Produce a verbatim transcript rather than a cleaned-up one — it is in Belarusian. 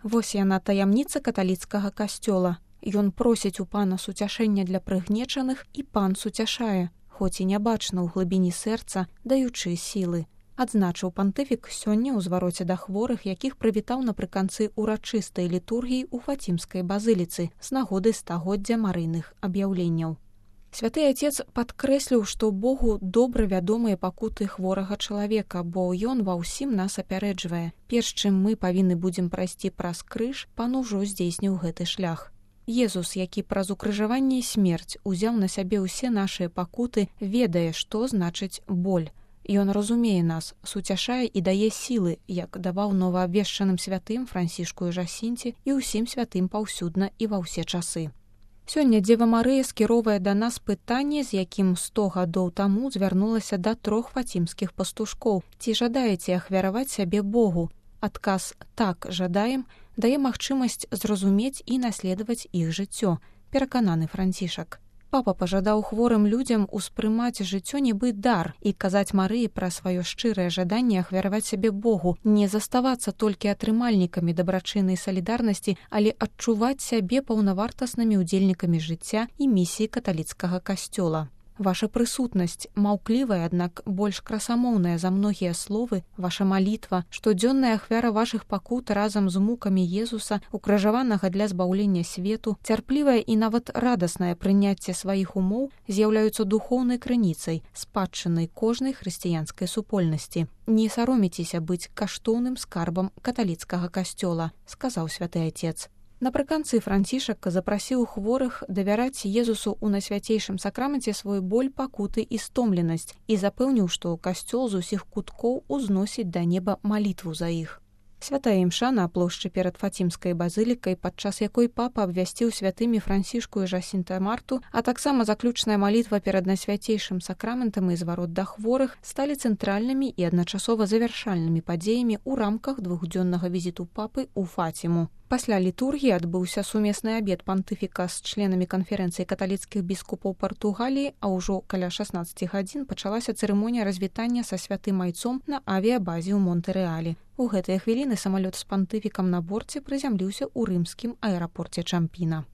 Вось яна таямніца каталіцкага касцёла. Ён просіць у пана суцяшэння для прыгнечаных, і пан суцяшае, хоць і нябачна ў глыбіні сэрца, даючы сілы. Адзначыў пантыфік сёння ў звароце да хворых, якіх прывітаў напрыканцы урачыстай літургіі ў Фацімскай базыліцы з нагоды стагоддзя марыйных аб'яўленняў. Святы Отец падкрэсліў, што Богу добра вядомыя пакуты хворага чалавека, бо ён ва ўсім нас апярэджвае. Перш чым мы павінны будзем прайсці праз крыж, пан ужо здзейсніў гэты шлях. Езус, які праз укрыжаванне і смерць узяў на сябе ўсе нашыя пакуты, ведае, што значыць боль. Ён разумее нас, суцяшае і дае сілы, як даваў новаабвешчаным святым Францішку і Жасінце і ўсім святым паўсюдна і ва ўсе часы. Сёння Дзева Марыя скіровае да нас пытанне, з якім сто гадоў таму звярнулася да трох фацімскіх пастушкоў. Ці жадаеце ахвяраваць сябе Богу? Адказ «так, жадаем» дае магчымасць зразумець і наследаваць іх жыццё, перакананы Францішак. Папа пажадаў хворым людзям успрымаць жыццё нібы дар і казаць Марыі пра сваё шчырае жаданне ахвяраваць сябе Богу, не заставацца толькі атрымальнікамі дабрачыннай салідарнасці, але адчуваць сябе паўнавартаснымі ўдзельнікамі жыцця і місіі каталіцкага касцёла. Ваша прысутнасць, маўклівая, аднак больш красамоўная за многія словы, ваша малітва, штодзённая ахвяра вашых пакут разам з мукамі Езуса, укрыжаванага для збаўлення свету, цярплівае і нават радаснае прыняцце сваіх умоў з'яўляюцца духоўнай крыніцай, спадчынай кожнай хрысціянскай супольнасці. Не саромецеся быць каштоўным скарбам каталіцкага касцёла, сказаў святы Отец. Напрыканцы Францішак запрасіў хворых давяраць Езусу ў найсвяцейшым сакраменце свой боль, пакуты і стомленасць і запэўніў, што касцёл з усіх куткоў узносіць да неба малітву за іх. Святая імша на плошчы перад Фацімскай базылікай, падчас якой папа абвясціў святымі Францішку і Жасінта Марту, а таксама заключная малітва перад найсвяцейшым сакраментам і зварот да хворых сталі цэнтральнымі і адначасова завяршальнымі падзеямі ў рамках двухдзённага візіту папы ў Фаціму. Пасля літургіі адбыўся сумесны абед пантыфіка з членамі канферэнцыі каталіцкіх біскупаў Партугаліі, а ўжо каля шаснаццаці гадзін пачалася цырымонія развітання са святым айцом на авіябазе ў Монтэрэалі. У гэтыя хвіліны самалёт з пантыфікам на борце прызямліўся ў рымскім аэрапорце Чампіна.